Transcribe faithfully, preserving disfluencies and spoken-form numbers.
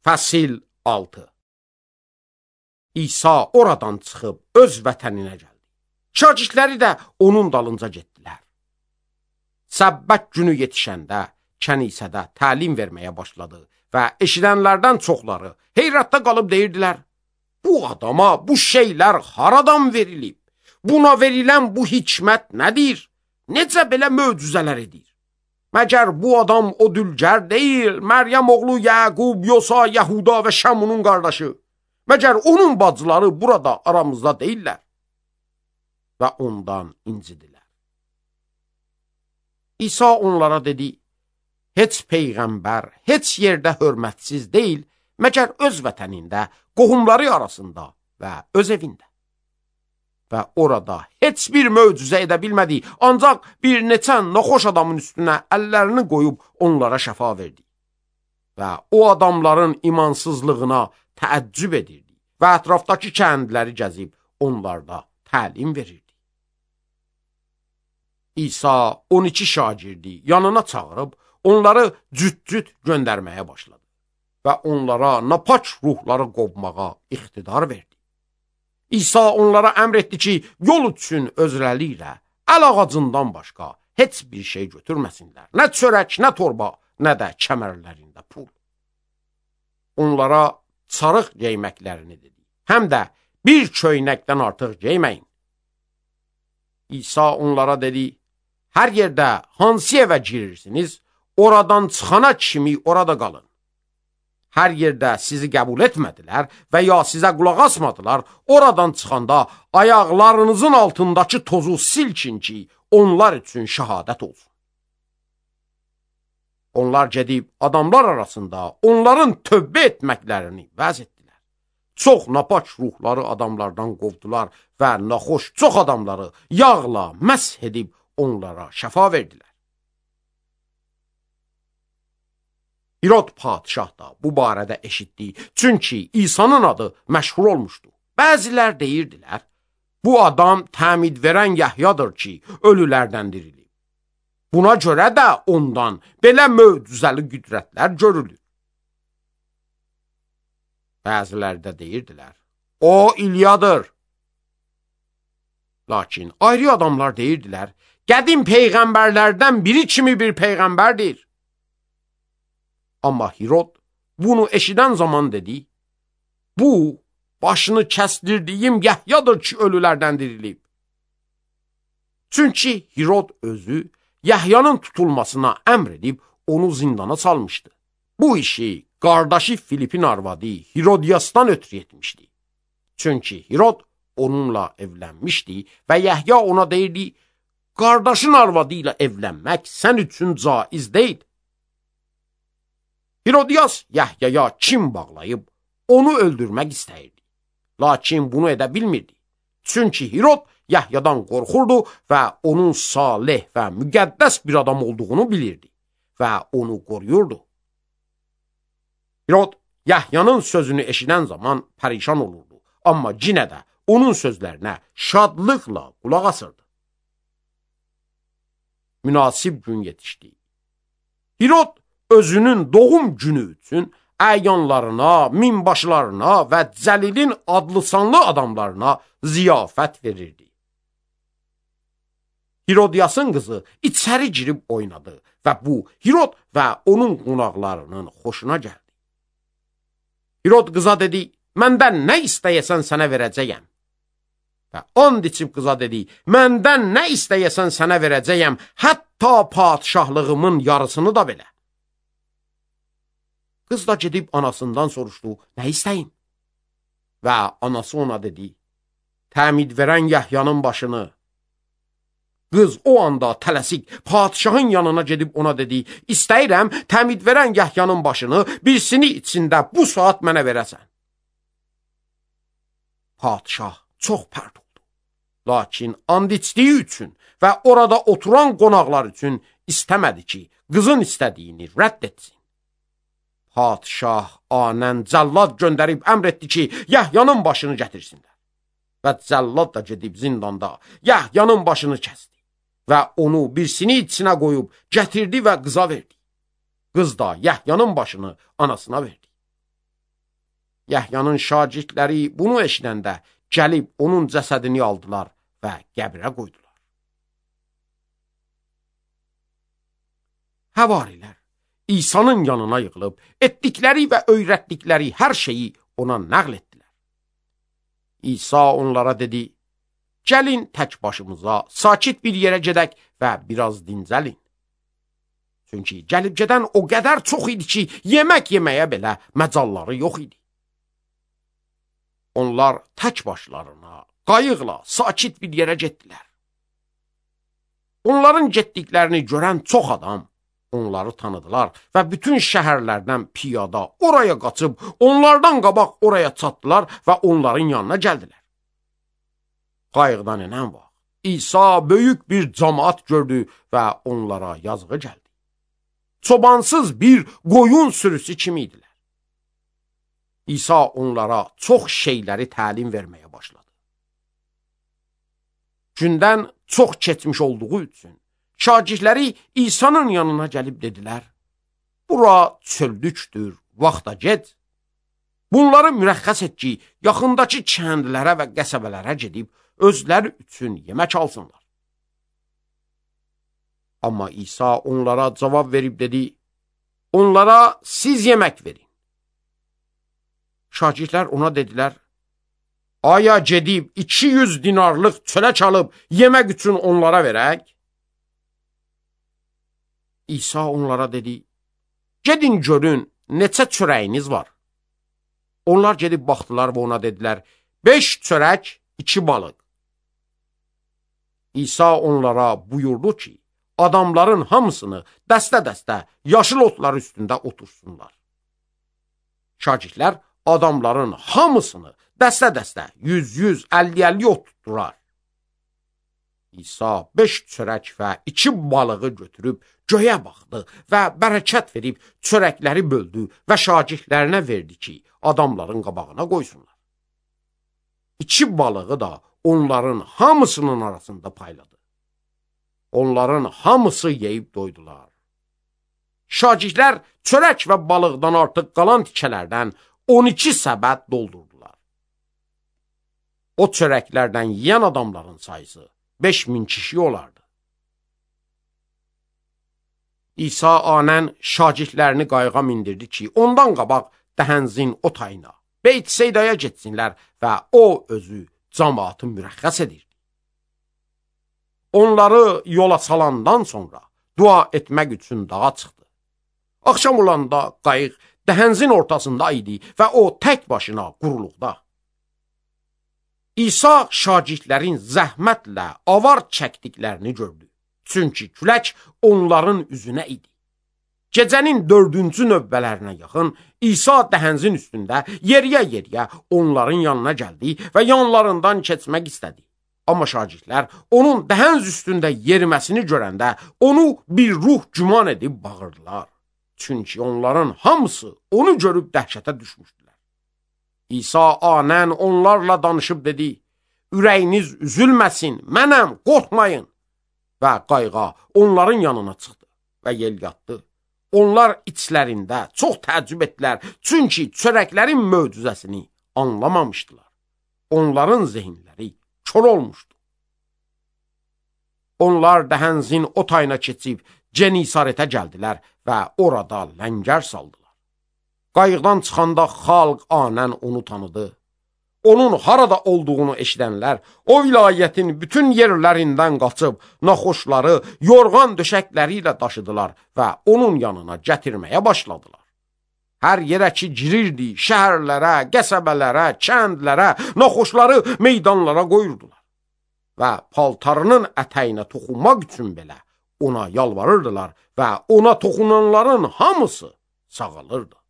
Fəsil altı. İsa oradan çıxıb öz vətəninə gəldi. Şagirdləri də onun dalınca getdilər. Səbbət günü yetişəndə kənisədə təlim verməyə başladı və eşidənlərdən çoxları heyrətdə qalıb deyirdilər: bu adama bu şeylər haradan verilib? Buna verilən bu hikmət nədir? Necə belə möcüzələr edir? Məgər bu adam o dülgər deyil, Məryəm oğlu Yəqub, Yosa, Yahuda və Şamunun qardaşı? Məgər onun bacıları burada aramızda deyirlər? Və ondan incidilər. İsa onlara dedi: heç peyğəmbər heç yerdə hörmətsiz deyil, məgər öz vətənində, qohumları arasında və öz evində. Və orada heç bir möcüzə edə bilmədi, ancaq bir neçə naxoş adamın üstünə əllərini qoyub onlara şəfa verdi. Və o adamların imansızlığına təəccüb edirdi və ətrafdakı kəndləri gəzib onlarda təlim verirdi. İsa on iki şagirdi yanına çağırıb onları cüt-cüt göndərməyə başladı və onlara napaç ruhları qovmağa iqtidar verdi. İsa onlara əmr etdi ki, yol üçün özləri ilə əl ağacından başqa heç bir şey götürməsinlər. Nə çörək, nə torba, nə də kəmərlərində pul. Onlara sarıq geyməklərini dedi. Həm də bir köynəkdən artıq geyməyin. İsa onlara dedi: hər yerdə hansı evə girirsiniz, oradan çıxana kimi orada qalın. Hər yerdə sizi qəbul etmədilər və ya sizə qulaq asmadılar, oradan çıxanda ayaqlarınızın altındakı tozu silkin ki, onlar üçün şəhadət olsun. Onlar gedib adamlar arasında onların tövbə etməklərini vəz etdilər. Çox napaç ruhları adamlardan qovdular və naxoş çox adamları yağla məsh edib onlara şəfa verdilər. İrod padişah da bu barədə eşitdi, çünki İsa'nın adı məşhur olmuşdu. Bəzilər deyirdilər: bu adam təmid verən Yahyadır ki, ölülərdən dirilib. Buna görə də ondan belə möcüzəli qüdrətlər görülür. Bəzilər də deyirdilər: o İlyadır. Lakin ayrı adamlar deyirdilər: qədim peyğəmbərlərdən biri kimi bir peyğəmbərdir. Amma Hirod bunu eşidən zaman dedi: bu başını kəsdirdiyim Yahyadır ki, ölülərdən dirilib. Çünki Hirod özü Yahyanın tutulmasına əmr edib onu zindana salmışdı. Bu işi qardaşı Filipin arvadı Hirodiyasdan ötürü etmişdi. Çünki Hirod onunla evlənmişdi və Yahya ona deyirdi: qardaşın arvadı ilə evlənmək sən üçün caiz deyil. Hirodiyas Yahyaya kim bağlayıb onu öldürmək istəyirdi. Lakin bunu edə bilmirdi. Çünki Hirod Yahyadan qorxurdu və onun salih və müqəddəs bir adam olduğunu bilirdi və onu qoruyurdu. Hirod Yahyanın sözünü eşidən zaman pərişan olurdu, amma yenə də onun sözlərinə şadlıqla qulaq asırdı. Münasib gün yetişdi. Hirod özünün doğum günü üçün əyanlarına, minbaşılarına və Cəlilin adlı sanlı adamlarına ziyafət verirdi. Hirodiyasın qızı içəri girib oynadı və bu Hirod və onun qonaqlarının xoşuna gəldi. Hirod qıza dedi: məndən nə istəyəsən sənə verəcəyəm. Və and içib qıza dedi: məndən nə istəyəsən sənə verəcəyəm, hətta padişahlığımın yarısını da belə. Qız da gedib anasından soruşdu: nə istəyim? Və anası ona dedi: təmid verən Yahyanın başını. Qız o anda tələsik padişahın yanına gedib ona dedi: istəyirəm təmid verən Yahyanın başını, birisini içində bu saat mənə verəsən. Padişah çox pərt oldu. Lakin and içdiyi üçün və orada oturan qonaqlar üçün istəmədi ki, qızın istədiyini rədd etsin. Padişah anən cəllad göndərib əmr etdi ki, Yahyanın başını gətirsinlər. Və cəllad da gedib zindanda Yahyanın başını kəsdi və onu birisini içinə qoyub gətirdi və qıza verdi. Qız da Yahyanın başını anasına verdi. Yəhyanın şagirdləri bunu eşidəndə gəlib onun cəsədini aldılar və qəbrə qoydular. Həvarilər İsa'nın yanına yığılıb, etdikləri və öyrətdikləri hər şeyi ona nəql etdilər. İsa onlara dedi, gəlin tək başımıza, sakit bir yerə gedək və biraz dincəlin. Çünki gəlib gedən o qədər çox idi ki, yemək yeməyə belə məcalları yox idi. Onlar tək başlarına, qayıqla, sakit bir yerə getdilər. Onların getdiklərini görən çox adam onları tanıdılar və bütün şəhərlərdən piyada oraya qaçıb, onlardan qabaq oraya çatdılar və onların yanına gəldilər. Qayıqdan enən vaxt İsa böyük bir cəmaət gördü və onlara yazığı gəldi. Çobansız bir qoyun sürüsü kimi idilər. İsa onlara çox şeyləri təlim verməyə başladı. Gündən çox keçmiş olduğu üçün şagirdləri İsa'nın yanına gəlib dedilər, bura çöllükdür, vaxta get. Bunları mürəxxəs et ki, yaxındakı kəndlərə və qəsəbələrə gedib, özləri üçün yemək alsınlar. Amma İsa onlara cavab verib dedi, onlara siz yemək verin. Şagirdlər ona dedilər, aya gedib iki yüz dinarlıq çörək alıb yemək üçün onlara verək? İsa onlara dedi, gedin görün, neçə çörəyiniz var? Onlar gedib baxdılar və ona dedilər, beş çörək, iki balıq. İsa onlara buyurdu ki, adamların hamısını dəstə-dəstə yaşıl otlar üstündə otursunlar. Şagirdlər adamların hamısını dəstə-dəstə yüz-yüz, əlli-əlli ot tutdular. İsa beş çörək və iki balığı götürüb göyə baxdı və bərəkət verib çörəkləri böldü və şagirdlərinə verdi ki, adamların qabağına qoysunlar. İki balığı da onların hamısının arasında payladı. Onların hamısı yeyib doydular. Şagirdlər çörək və balıqdan artıq qalan tikələrdən on iki səbət doldurdular. O çörəklərdən yeyən adamların sayısı beş min kişi olardı. İsa anən şagirdlərini qayığa mindirdi ki, ondan qabaq dəhənzin o tayına, Beyt-Seydaya getsinlər və o özü cəmaatı mürəxxəs edirdi. Onları yola salandan sonra dua etmək üçün dağa çıxdı. Axşam olanda qayıq dəhənzin ortasında idi və o tək başına quruluqda. İsa şagirdlərin zəhmətlə avar çəkdiklərini gördü. Çünki külək onların üzünə idi. Gecənin dördüncü növbələrinə yaxın İsa dəhənzin üstündə yeriyə-yeriyə onların yanına gəldi və yanlarından keçmək istədi. Amma şagirdlər onun dəhənz üstündə yeriməsini görəndə onu bir ruh güman edib bağırdılar. Çünki onların hamısı onu görüb dəhşətə düşmüşdülər. İsa anən onlarla danışıb dedi, ürəyiniz üzülməsin, mənəm, qorxmayın. Və qayığa onların yanına çıxdı və yel yatdı. Onlar içlərində çox təəccüb etdilər, çünki çörəklərin möcüzəsini anlamamışdılar. Onların zehinləri kör olmuşdu. Onlar dəhənzin o tayına keçib Genisarətə gəldilər və orada ləngər saldılar. Qayıqdan çıxanda xalq anən onu tanıdı. Onun harada olduğunu eşidənlər o vilayətin bütün yerlərindən qaçıb naxoşları yorğan döşəkləri ilə daşıdılar və onun yanına gətirməyə başladılar. Hər yerə ki girirdi, şəhərlərə, qəsəbələrə, kəndlərə, naxoşları meydanlara qoyurdular və paltarının ətəyinə toxunmaq üçün belə ona yalvarırdılar və ona toxunanların hamısı sağalırdı.